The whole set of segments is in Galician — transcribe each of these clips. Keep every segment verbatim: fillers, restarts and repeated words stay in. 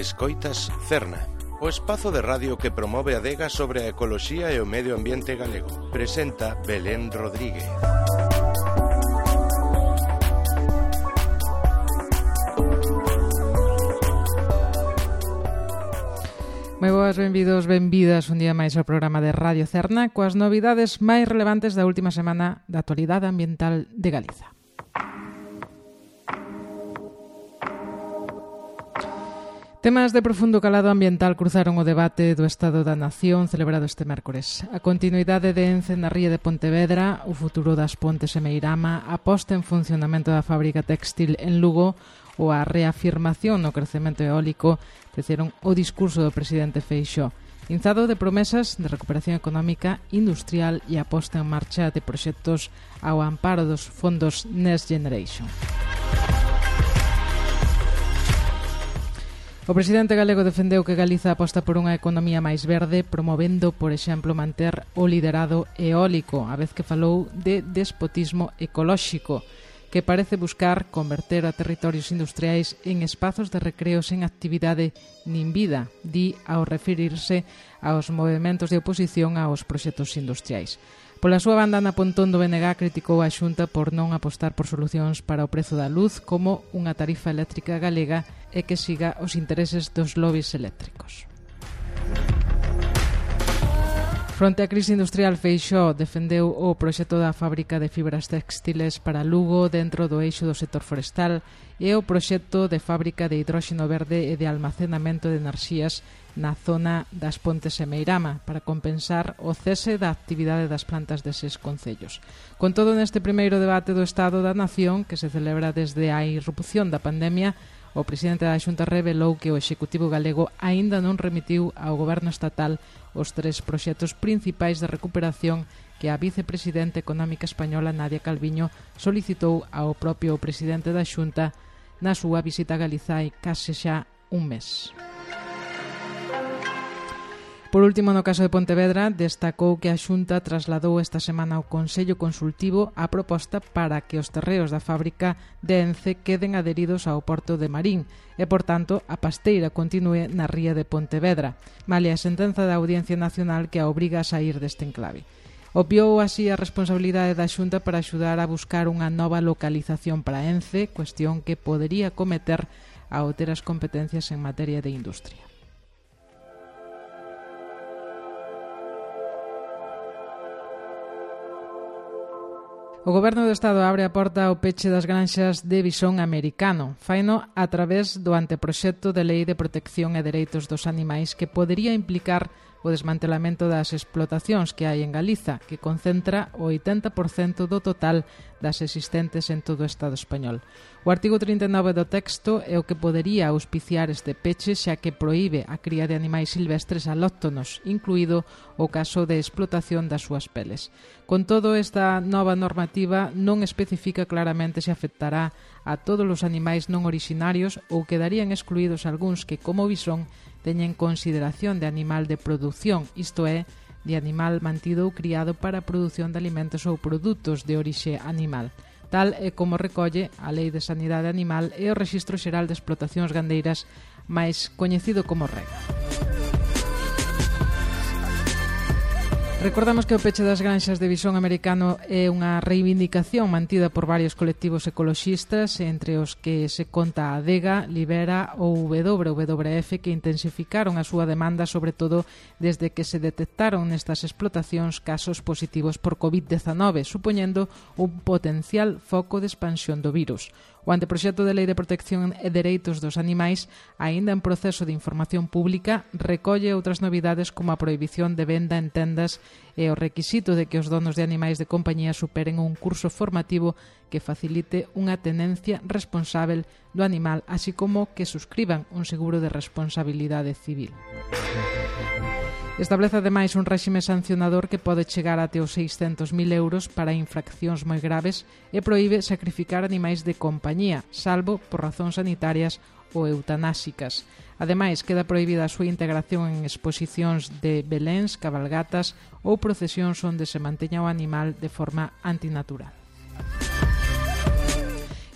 Escoitas Cerna, o espazo de radio que promove a adega sobre a ecoloxía e o medio ambiente galego. Presenta Belén Rodríguez. Moi boas, benvidos, benvidas un día máis ao programa de Radio Cerna coas novidades máis relevantes da última semana da actualidade ambiental de Galiza. Temas de profundo calado ambiental cruzaron o debate do Estado da Nación celebrado este mércores. A continuidade de Ence na ría de Pontevedra, o futuro das Pontes e Meirama, a posta en funcionamento da fábrica textil en Lugo ou a reafirmación no crecemento eólico teceron o discurso do presidente Feixóo, inzado de promesas de recuperación económica, industrial e a posta en marcha de proxectos ao amparo dos fondos Next Generation. O presidente galego defendeu que Galiza aposta por unha economía máis verde, promovendo, por exemplo, manter o liderado eólico, a vez que falou de despotismo ecolóxico, que parece buscar converter a territorios industriais en espazos de recreo sen actividade nin vida, di ao referirse aos movementos de oposición aos proxectos industriais. Pola súa banda, na Pontón do B N G criticou a Xunta por non apostar por solucións para o prezo da luz como unha tarifa eléctrica galega e que siga os intereses dos lobbies eléctricos. Fronte á crise industrial, Feixóo defendeu o proxecto da fábrica de fibras textiles para Lugo dentro do eixo do sector forestal e o proxecto de fábrica de hidróxeno verde e de almacenamento de enerxías na zona das Pontes e Meirama para compensar o cese da actividade das plantas deses concellos. Con todo, neste primeiro debate do Estado da Nación, que se celebra desde a irrupción da pandemia, o presidente da Xunta revelou que o Executivo galego aínda non remitiu ao Goberno estatal os tres proxectos principais de recuperación que a vicepresidenta económica española Nadia Calviño solicitou ao propio presidente da Xunta na súa visita a Galiza hai case xa un mes. Por último, no caso de Pontevedra, destacou que a Xunta trasladou esta semana ao Consello Consultivo a proposta para que os terreos da fábrica de Ence queden adheridos ao porto de Marín e, por tanto, a pasteira continúe na ría de Pontevedra, malia a sentenza da Audiencia Nacional que a obriga a sair deste enclave. Obviou así a responsabilidade da Xunta para axudar a buscar unha nova localización para Ence, cuestión que podería cometer ao ter as competencias en materia de industria. O Goberno do Estado abre a porta ao peche das granxas de visón americano. Faino a través do anteproxecto de Lei de Protección e Dereitos dos Animais que podería implicar o desmantelamento das explotacións que hai en Galiza, que concentra o oitenta por cento do total das existentes en todo o Estado español. O artigo trinta e nove do texto é o que podería auspiciar este peche, xa que proíbe a cría de animais silvestres alóctonos, incluído o caso de explotación das súas peles. Con todo, esta nova normativa non especifica claramente se afectará a todos os animais non orixinarios ou quedarían excluídos algúns que, como visón, teñen consideración de animal de produción, isto é, de animal mantido ou criado para a produción de alimentos ou produtos de orixe animal. Tal é como recolle a Lei de Sanidade Animal e o Rexistro Xeral de Explotacións Gandeiras, máis coñecido como REGA. Recordamos que o peche das granxas de visón americano é unha reivindicación mantida por varios colectivos ecoloxistas, entre os que se conta a Adega, Libera ou W W F, que intensificaron a súa demanda, sobre todo desde que se detectaron nestas explotacións casos positivos por covid dezanove, supoñendo un potencial foco de expansión do virus. O anteproxecto de Lei de Protección e Dereitos dos Animais, aínda en proceso de información pública, recolle outras novidades como a prohibición de venda en tendas e o requisito de que os donos de animais de compañía superen un curso formativo que facilite unha tenencia responsável do animal, así como que suscriban un seguro de responsabilidade civil. Establece ademais un réxime sancionador que pode chegar até os seiscentos mil euros para infraccións moi graves e proíbe sacrificar animais de compañía, salvo por razóns sanitarias ou eutanásicas. Ademais, queda prohibida a súa integración en exposicións de beléns, cabalgatas ou procesións onde se manteña o animal de forma antinatural.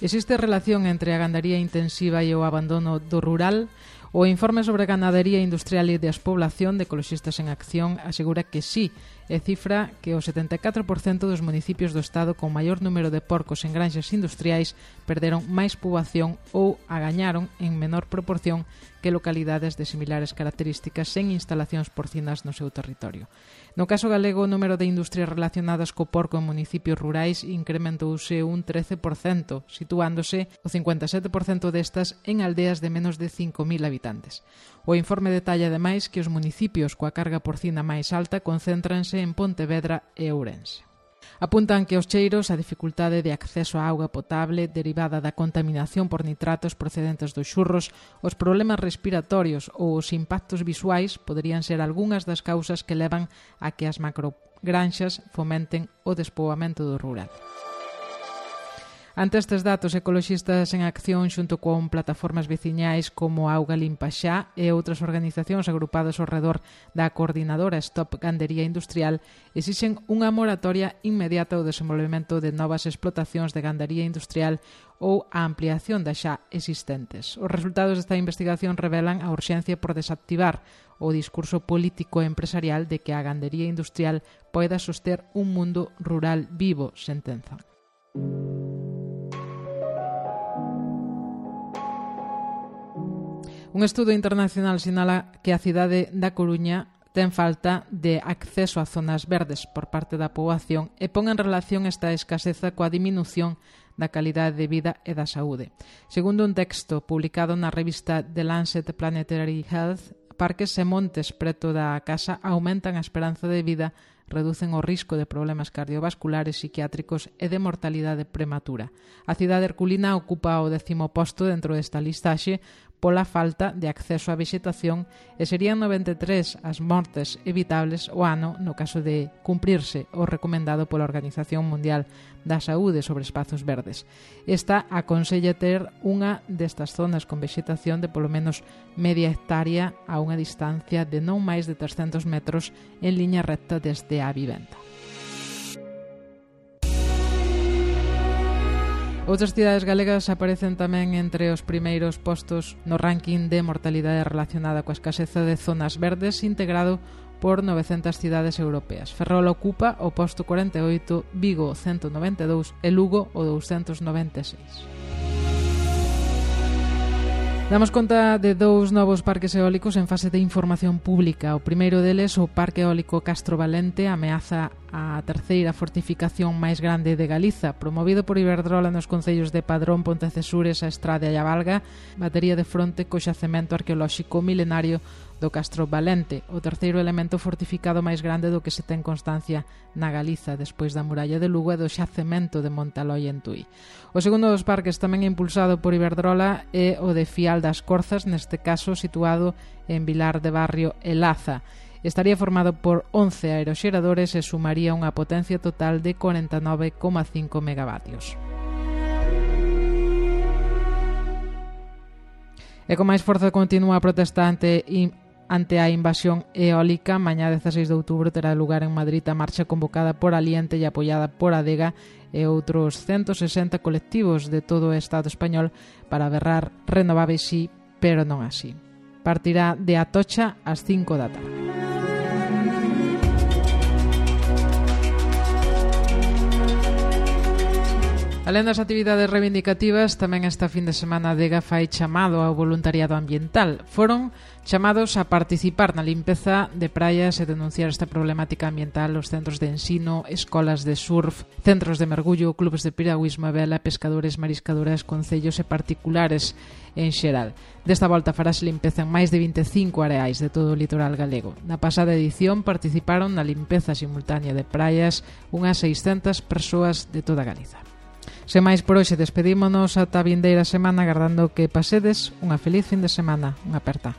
Existe relación entre a gandaría intensiva e o abandono do rural. O informe sobre ganadería industrial e despoblación de Ecoloxistas en Acción asegura que sí, e cifra que o setenta e catro por cento dos municipios do Estado con maior número de porcos en granxas industriais perderon máis poboación ou agañaron en menor proporción que localidades de similares características sen instalacións porcinas no seu territorio. No caso galego, o número de industrias relacionadas co porco en municipios rurais incrementouse un trece por cento, situándose o cincuenta e sete por cento destas en aldeas de menos de cinco mil habitantes. O informe detalla ademais que os municipios coa carga porcina máis alta concéntranse en Pontevedra e Ourense. Apuntan que os cheiros, a dificultade de acceso á auga potable derivada da contaminación por nitratos procedentes dos xurros, os problemas respiratorios ou os impactos visuais poderían ser algunhas das causas que levan a que as macrogranxas fomenten o despoboamento do rural. Ante estes datos, Ecoloxistas en Acción xunto con plataformas veciñais como Auga Limpa Xa e outras organizacións agrupadas ao redor da coordinadora Stop Gandería Industrial exixen unha moratoria inmediata ao desenvolvemento de novas explotacións de gandería industrial ou a ampliación das xa existentes. Os resultados desta investigación revelan a urxencia por desactivar o discurso político e empresarial de que a gandería industrial poida soster un mundo rural vivo, sentenzan. Un estudo internacional sinala que a cidade da Coruña ten falta de acceso a zonas verdes por parte da poboación e pon en relación esta escaseza coa diminución da calidade de vida e da saúde. Segundo un texto publicado na revista The Lancet Planetary Health, parques e montes preto da casa aumentan a esperanza de vida, reducen o risco de problemas cardiovasculares, psiquiátricos e de mortalidade prematura. A cidade herculina ocupa o décimo posto dentro desta listaxe pola falta de acceso á vexetación e serían noventa e tres as mortes evitables o ano no caso de cumprirse o recomendado pola Organización Mundial da Saúde sobre espazos verdes. Esta aconsella ter unha destas zonas con vexetación de polo menos media hectárea a unha distancia de non máis de trescentos metros en liña recta desde a vivenda. Outras cidades galegas aparecen tamén entre os primeiros postos no ranking de mortalidade relacionada coa escaseza de zonas verdes integrado por novecentas cidades europeas. Ferrol ocupa o posto cuarenta e oito, Vigo ciento noventa e dous e Lugo o doscientos noventa e seis. Damos conta de dous novos parques eólicos en fase de información pública. O primeiro deles, o Parque Eólico Castro Valente, ameaza a terceira fortificación máis grande de Galiza, promovido por Iberdrola nos concellos de Padrón, Pontecesures, a Estrada e a Valga, batería de fronte co xacemento arqueolóxico milenario do Castro Valente, o terceiro elemento fortificado máis grande do que se ten constancia na Galiza, despois da muralla de Lugo e do xacemento de Montaloi en Tui. O segundo dos parques, tamén impulsado por Iberdrola, é o de Fial das Corzas, neste caso situado en Vilar de Barrio e Laza. Estaría formado por once aeroxeradores e sumaría unha potencia total de cuarenta e nove coma cinco megavatios. E con máis forza continúa a protesta ante, ante a invasión eólica. Mañá dezasseis de outubro terá lugar en Madrid a marcha convocada por Aliente e apoiada por Adega e outros ciento sesenta colectivos de todo o Estado español para berrar renováveis sí, pero non así. Partirá de Atocha ás cinco da tarde. Alén das actividades reivindicativas, tamén esta fin de semana a Adega fai chamado ao voluntariado ambiental. Foron chamados a participar na limpeza de praias e denunciar esta problemática ambiental os centros de ensino, escolas de surf, centros de mergullo, clubes de piragüismo e vela, pescadores, mariscadoras, concellos e particulares en xeral. Desta volta farase limpeza en máis de vinte e cinco areais de todo o litoral galego. Na pasada edición participaron na limpeza simultánea de praias unhas seiscentas persoas de toda Galiza. Sen máis por hoxe, despedímonos ata a vindeira semana agardando que pasedes unha feliz fin de semana. Unha aperta.